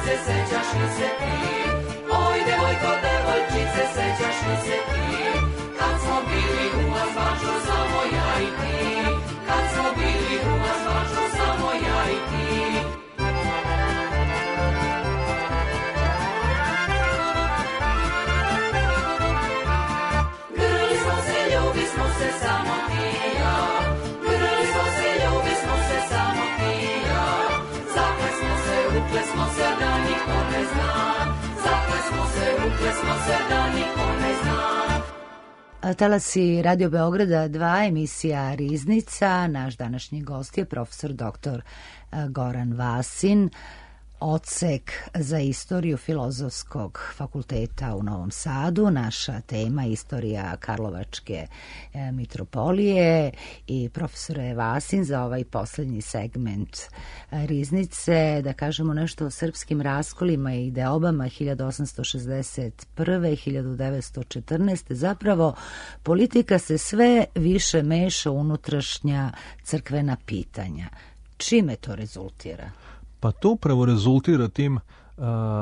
Sećaš li se ti? Oj, devojko, devojčice, sećaš li se ti? Kad smo bili u Azbaču, samo ja i ti. Kad smo bili u Azbaču, samo ja i ti. Grli smo se, ljubi smo se, samo ti i ja. Grli smo se, ljubi smo se, samo ti i ja. Zakle smo se, ukle smo se, da niko ne zna. Zakle smo se, ukle smo se, da niko ne zna. Talasi Radio Beograda 2, emisija Riznica. Naš današnji gost je profesor dr. Goran Vasin, odsek za istoriju Filozofskog fakulteta u Novom Sadu. Naša tema istorija Karlovačke mitropolije i profesore Vasin, za ovaj posljednji segment Riznice da kažemo nešto o srpskim raskolima i deobama 1861. 1914. Zapravo politika se sve više meša u unutrašnja crkvena pitanja. Čime to rezultira? Pa to upravo rezultira tim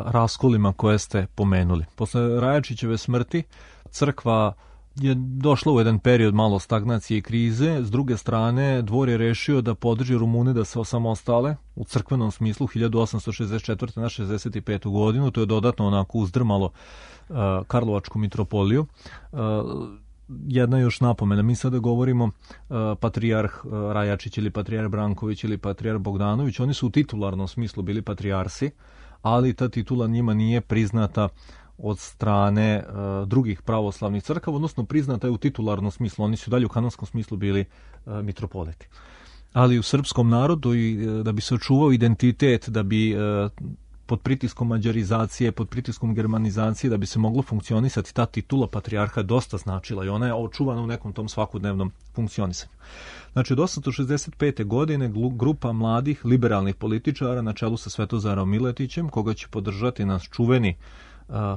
raskolima koje ste pomenuli. Posle Rajačićeve smrti crkva je došla u jedan period malo stagnacije i krize. S druge strane, dvor je rešio da podrži Rumune da se osamostale u crkvenom smislu 1864. na 65. godinu. To je dodatno onako uzdrmalo Karlovačku mitropoliju. jedna još napomena. Mi sada govorimo patrijarh Rajačić ili patrijarh Branković ili patrijarh Bogdanović. Oni su u titularnom smislu bili patrijarsi, ali ta titula njima nije priznata od strane drugih pravoslavnih crkava, odnosno priznata je u titularnom smislu. Oni su dalje u kanonskom smislu bili mitropoliti. Ali u srpskom narodu, i da bi se očuvao identitet, da bi pod pritiskom mađarizacije, pod pritiskom germanizacije, da bi se moglo funkcionisati, ta titula patrijarha je dosta značila i ona je očuvana u nekom tom svakodnevnom funkcionisanju. Znači, od 865. godine grupa mladih liberalnih političara na čelu sa Svetozarom Miletićem, koga će podržati naš čuveni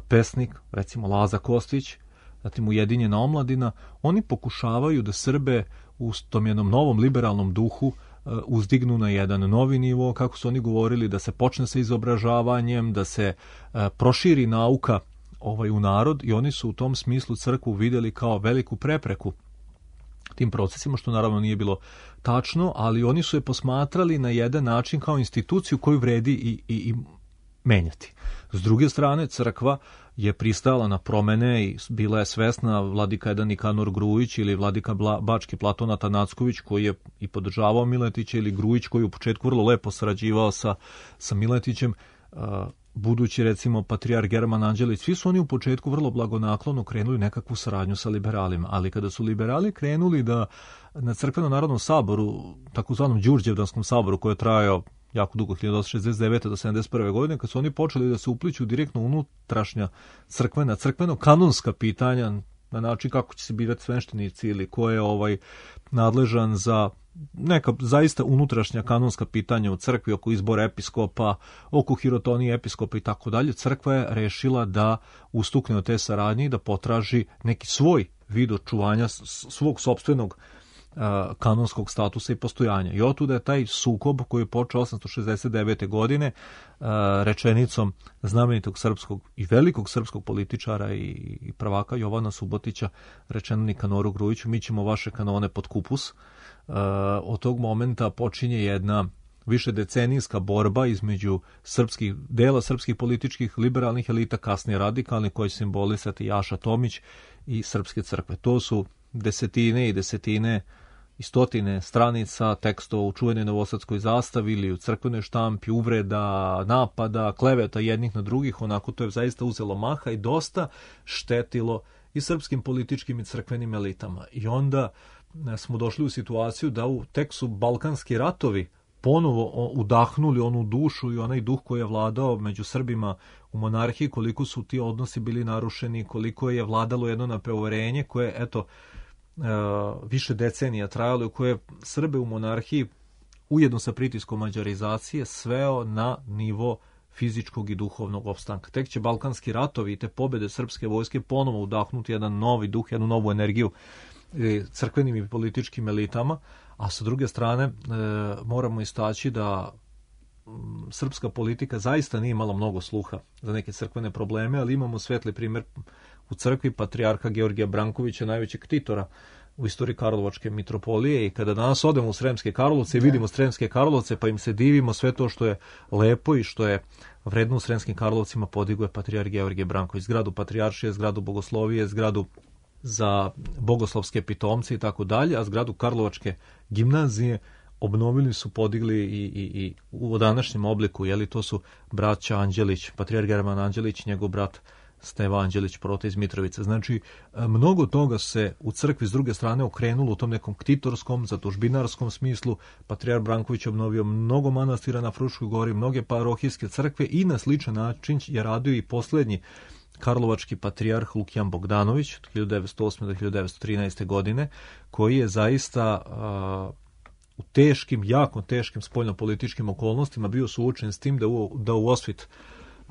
pesnik, recimo Laza Kostić, zatim Ujedinjena omladina, oni pokušavaju da Srbe u tom jednom novom liberalnom duhu uzdignu na jedan novi nivo, kako su oni govorili, da se počne sa izobražavanjem, da se proširi nauka u narod, i oni su u tom smislu crkvu vidjeli kao veliku prepreku tim procesima, što naravno nije bilo tačno, ali oni su je posmatrali na jedan način kao instituciju koju vredi i menjati. S druge strane, crkva je pristajala na promene i bila je svesna, vladika jedan Nikanor Grujić ili vladika Bački Platon Atanacković, koji je i podržavao Miletića, ili Grujić koji u početku vrlo lepo sarađivao sa Miletićem, budući recimo patrijarh German Anđelić, svi su oni u početku vrlo blagonaklono krenuli nekakvu saradnju sa liberalima, ali kada su liberali krenuli da na crkvenom narodnom saboru, takozvanom Đurđevdanskom saboru, koji je trajao jako dugo, 1869. do 71. godine, kad su oni počeli da se upliću direktno unutrašnja crkveno-kanonska pitanja, na način kako će se birati sveštenici ili ko je nadležan za neka zaista unutrašnja kanonska pitanja u crkvi, oko izbora episkopa, oko hirotonije episkopa i tako dalje, crkva je rešila da ustukne od te saradnje i da potraži neki svoj vid očuvanja svog sopstvenog kanonskog statusa i postojanja. I otuda je taj sukob koji je počeo 869. godine rečenicom znamenitog srpskog i velikog srpskog političara i prvaka Jovana Subotića, rečeno Nikanoru Grujiću: mi ćemo vaše kanone pod kupus. Od tog momenta počinje jedna višedecenijska borba između dela srpskih političkih liberalnih elita, kasnije radikalnih, koji će simbolisati Jaša Tomić, i srpske crkve. To su desetine i desetine i stotine stranica tekstova u čuvenoj novosadskoj zastavi ili u crkvenoj štampi, uvreda, napada, kleveta jednih na drugih. Onako, to je zaista uzelo maha i dosta štetilo i srpskim političkim i crkvenim elitama. I onda smo došli u situaciju da tek su Balkanski ratovi ponovo udahnuli onu dušu i onaj duh koji je vladao među Srbima u monarhiji, koliko su ti odnosi bili narušeni, koliko je vladalo jedno napreurenje koje, više decenija trajalo, koje je Srbe u monarhiji ujedno sa pritiskom mađarizacije sveo na nivo fizičkog i duhovnog opstanka. Tek će Balkanski ratovi i te pobjede srpske vojske ponovo udahnuti jedan novi duh, jednu novu energiju crkvenim i političkim elitama, a sa druge strane moramo istaći da srpska politika zaista nije imala mnogo sluha za neke crkvene probleme, ali imamo svetli primjer u crkvi patrijarha Georgija Brankovića, najvećeg ktitora u istoriji Karlovačke mitropolije, i kada danas odemo u Sremske Karlovce i vidimo Sremske Karlovce, pa im se divimo, sve to što je lepo i što je vredno u Sremskim Karlovcima podiguje patrijarh Georgije Branković, zgradu patrijaršije, zgradu bogoslovije, zgradu za bogoslovske pitomce i tako dalje, a zgradu Karlovačke gimnazije obnovili su, podigli i u današnjem obliku, to su braća Anđelić, patrijarh German Anđelić, njegov brat Steva Anđelić, prota iz Mitrovice. Znači, mnogo toga se u crkvi s druge strane okrenulo u tom nekom ktitorskom, zatužbinarskom smislu. Patrijarh Branković obnovio mnogo manastira na Fruškoj gori, mnoge parohijske crkve, i na sličan način je radio i posljednji karlovački patrijarh Lukijan Bogdanović od 1908. do 1913. godine, koji je zaista u teškim, jako teškim spoljnopolitičkim okolnostima bio suočen s tim da u osvit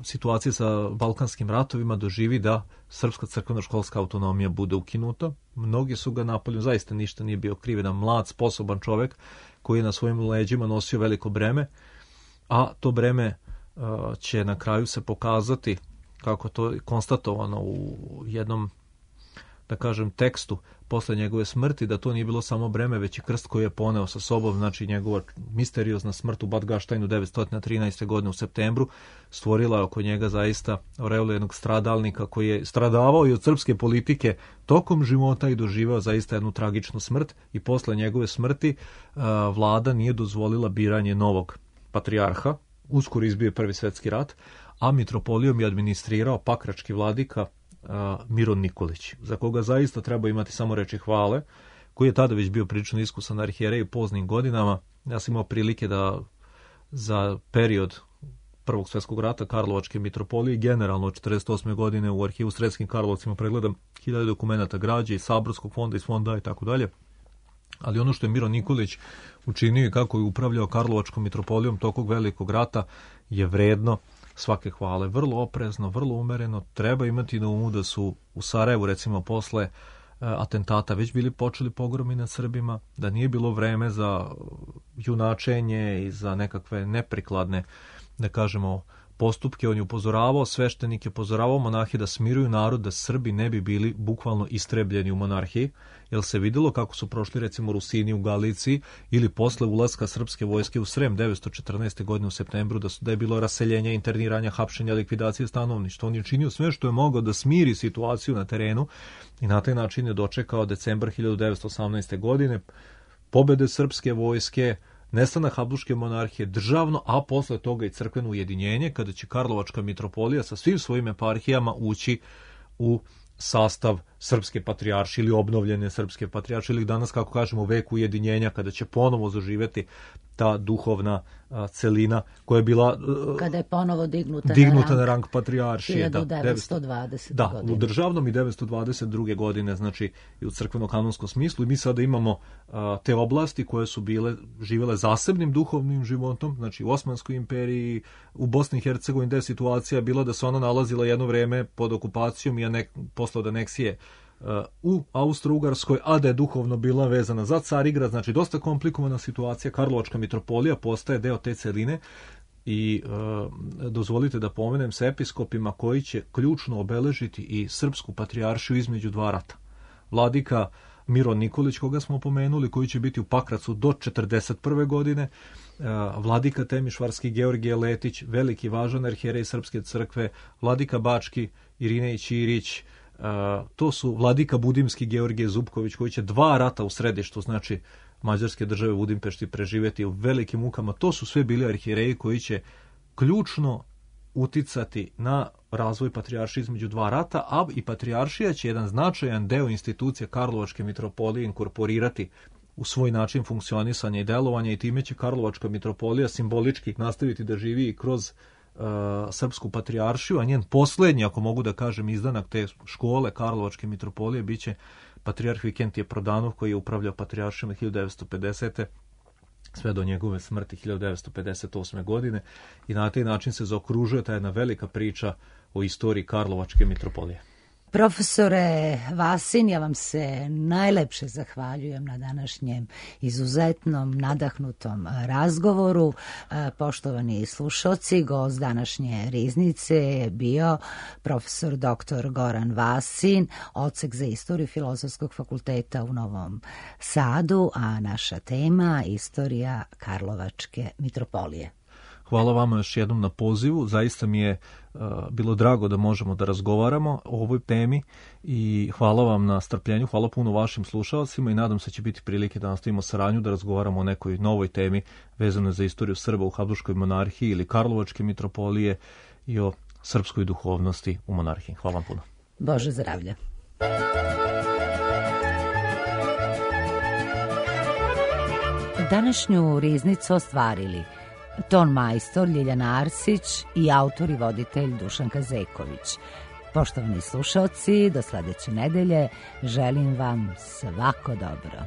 situacije sa Balkanskim ratovima doživi da srpska crkveno-školska autonomija bude ukinuta. Mnogi su ga napolju, zaista ništa nije bio kriv, jedan mlad, sposoban čovjek koji je na svojim leđima nosio veliko breme, a to breme će na kraju se pokazati, kako to je konstatovano u jednom da kažem, tekstu posle njegove smrti, da to nije bilo samo breme, već i krst koji je poneo sa sobom, znači njegova misteriozna smrt u Bad Gaštajnu 913. godine u septembru stvorila oko njega zaista aureolu jednog stradalnika koji je stradavao i od srpske politike tokom života i doživao zaista jednu tragičnu smrt, i posle njegove smrti vlada nije dozvolila biranje novog patrijarha. Uskoro izbio Prvi svetski rat, a mitropolijom je administrirao pakrački vladika Miron Nikolić, za koga zaista treba imati samo reči hvale, koji je tada već bio prilično iskusan arhijerej u poznim godinama. Ja sam imao prilike da za period Prvog svjetskog rata Karlovačke mitropolije, generalno od 48. godine u arhivu Sremskim Karlovcima pregledam 1000 dokumenata građe iz Saborskog fonda, iz fonda i tako dalje. Ali ono što je Miron Nikolić učinio i kako je upravljao Karlovačkom mitropolijom tokog velikog rata je vredno svake hvale. Vrlo oprezno, vrlo umereno. Treba imati na umu da su u Sarajevu, recimo posle atentata, već bili počeli pogromi nad Srbima, da nije bilo vreme za junačenje i za nekakve neprikladne, da kažemo, postupke. On je upozoravao sveštenike, upozoravao monahe da smiruju narod, da Srbi ne bi bili bukvalno istrebljeni u monarhiji, jer se videlo kako su prošli recimo Rusini u Galiciji ili posle ulaska srpske vojske u Srem 914. godine u septembru, da je bilo raseljenja, interniranja, hapšenja, likvidacije stanovništva. On je činio sve što je mogao da smiri situaciju na terenu i na taj način je dočekao decembar 1918. godine, pobede srpske vojske, nestanak Habsburške monarhije, državno, a posle toga i crkveno ujedinjenje, kada će Karlovačka mitropolija sa svim svojim eparhijama ući u sastav srpske patrijaršije ili obnovljene srpske patrijaršije, ili danas, kako kažemo, vek ujedinjenja, kada će ponovo zaživeti ta duhovna celina koja je bila kada je ponovo dignuta na rang patrijaršije 1920. godine. U državnom i 922. godine, znači i u crkveno-kanonskom smislu. I mi sada imamo te oblasti koje su živele zasebnim duhovnim životom, znači u Osmanskoj imperiji, u Bosni i Hercegovini, gde je situacija bila da se ona nalazila jedno vreme pod okupacijom i posle od aneksije u Austro-Ugarskoj, a da je duhovno bila vezana za Carigrad, znači dosta komplikovana situacija. Karlovačka mitropolija postaje deo te celine i dozvolite da pomenem sa episkopima koji će ključno obeležiti i srpsku patrijaršiju između dva rata. Vladika Miron Nikolić, koga smo pomenuli, koji će biti u Pakracu do 1941. godine, vladika Temišvarski Georgije Letić, veliki važan arhijerej Srpske crkve, vladika Bački Irinej Ćirić, to su vladika Budimski Georgije Zupković, koji će dva rata u središtu, znači Mađarske države u Budimpešti, preživjeti u velikim mukama. To su sve bili arhijereji koji će ključno uticati na razvoj patrijaršije između dva rata, a i patrijaršija će jedan značajan deo institucije Karlovačke mitropolije inkorporirati u svoj način funkcionisanja i delovanja, i time će Karlovačka mitropolija simbolički nastaviti da živi i kroz srpsku patrijaršiju, a njen posljednji, ako mogu da kažem, izdanak te škole Karlovačke mitropolije biće patrijarh Vikentije Prodanov, koji je upravljao patrijaršijom od 1950. sve do njegove smrti 1958. godine, i na taj način se zaokružuje ta jedna velika priča o istoriji Karlovačke mitropolije. Profesore Vasin, ja vam se najlepše zahvaljujem na današnjem izuzetnom, nadahnutom razgovoru. Poštovani slušalci, gost današnje riznice je bio profesor dr. Goran Vasin, odsek za istoriju Filozofskog fakulteta u Novom Sadu, a naša tema istorija Karlovačke mitropolije. Hvala vama još jednom na pozivu. Zaista mi je bilo drago da možemo da razgovaramo o ovoj temi i hvala vam na strpljenju, hvala puno vašim slušalcima i nadam se će biti prilike da nastavimo saradnju, da razgovaramo o nekoj novoj temi vezanoj za istoriju Srba u Habsburškoj monarhiji ili Karlovačke mitropolije i o srpskoj duhovnosti u monarhiji. Hvala vam puno. Bože zdravlje. Današnju riznicu ostvarili ton majstor Ljiljana Arsić i autor i voditelj Dušan Kazeković. Poštovani slušalci, do sledeće nedelje želim vam svako dobro.